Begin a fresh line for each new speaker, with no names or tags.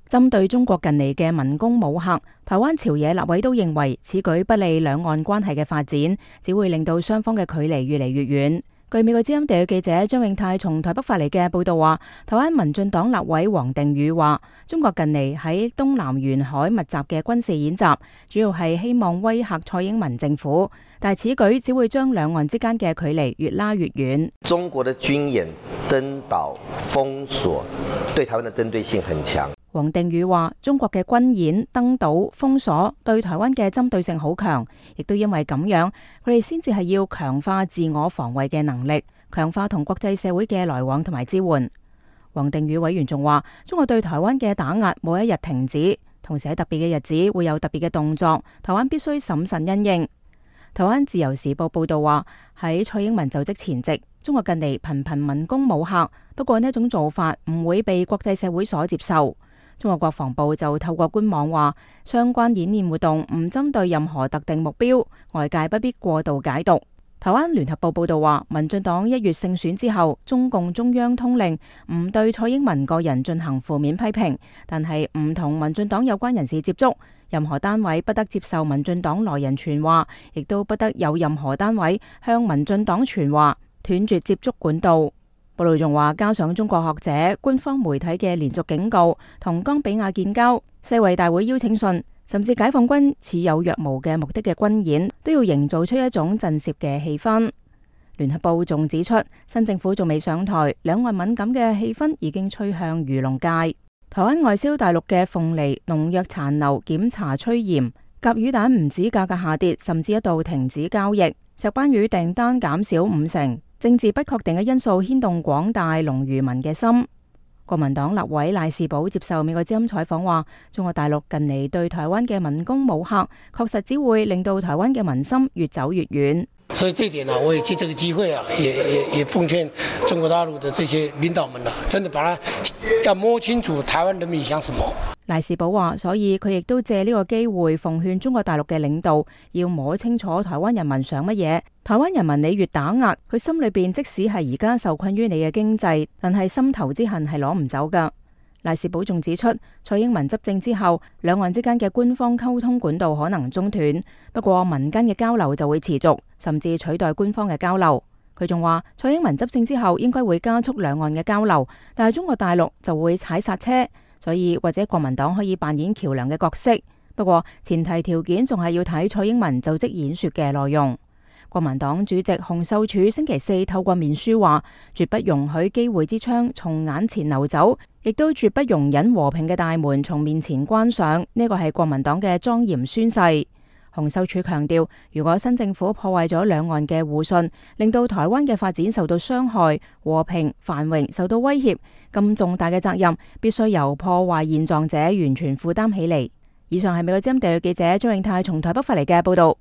針對中國近嚟嘅文攻武嚇，台灣朝野立委都認為此舉不利兩岸關係嘅發展，只會令到雙方嘅距離越嚟越遠。據美國之音地記者張永泰從台北發嚟嘅報道話，台灣民進黨立委黃定宇話，中國近嚟喺東南沿海密集嘅軍事演習，主要係希望威嚇蔡英文政府，但係此舉只會將兩岸之間嘅距離越拉越遠。
中國的軍演、登島、封鎖，對台灣的針對性很強。
黃定宇話，中國嘅軍演、登島、封鎖對台灣嘅針對性好強，亦都因為咁樣，佢哋先至係要強化自我防衛嘅能力，強化同國際社會嘅來往同埋支援。黃定宇委員仲話，中國對台灣嘅打壓冇一日停止，同時喺特別嘅日子會有特別嘅動作，台灣必須審慎因應。台灣自由時報報道話，喺蔡英文就職前夕，中國近嚟頻頻文攻武嚇，不過呢一種做法唔會被國際社會所接受。中國國防部就透過官網話，相關演練活動唔針對任何特定目標，外界不必過度解讀。台灣聯合報報道話，民進黨1月勝選之後，中共中央通令唔對蔡英文個人進行負面批評，但係唔同民進黨有關人士接觸，任何單位不得接受民進黨來人傳話，亦都不得有任何單位向民進黨傳話，斷絕接觸管道。報道仲話，加上中國學者、官方媒體嘅連續警告，同岡比亞建交、世衛大會邀請信，甚至解放軍似有若無嘅目的嘅軍演，都要營造出一種震懾嘅氣氛。聯合報仲指出，新政府仲未上台，兩岸敏感嘅氣氛已經吹向漁農界。台灣外銷大陸嘅鳳梨農藥殘留檢查趨嚴，甲魚蛋唔止價格下跌，甚至一度停止交易，石斑魚訂單減少50%。政治不確定嘅因素牽動廣大農漁民嘅心。國民黨立委賴士葆接受美國之音採訪話，中國大陸近嚟對台灣嘅文攻武嚇，確實只會令到台灣嘅民心越走越遠。
所以這一點我也借這個機會也奉勸中國大陸的這些領導們真的把它要摸清楚台灣人民想什麼。
賴士葆話，所以佢亦都借呢個機會奉勸中國大陸嘅領導要摸清楚台灣人民想乜嘢。台灣人民你越打壓，佢心裏邊即使係而家受困於你嘅經濟，但係心頭之恨係攞唔走噶。賴士葆仲指出，蔡英文執政之後，兩岸之間嘅官方溝通管道可能中斷，不過民間嘅交流就會持續，甚至取代官方嘅交流。佢仲話，蔡英文執政之後應該會加速兩岸嘅交流，但係中國大陸就會踩剎車。所以或者國民黨可以扮演橋樑嘅角色，不過前提條件仲係要睇蔡英文就職演說嘅內容。國民黨主席洪秀柱星期四透過面書話，絕不容許機會之窗從眼前流走，亦都絕不容忍和平嘅大門從面前關上。呢個係國民黨嘅莊嚴宣誓。洪秀柱強調，如果新政府破壞咗兩岸嘅互信，令到台灣嘅發展受到傷害，和平繁榮受到威脅，咁重大嘅責任必須由破壞現狀者完全負擔起嚟。以上係美國之音地記者張永泰從台北發嚟嘅報道。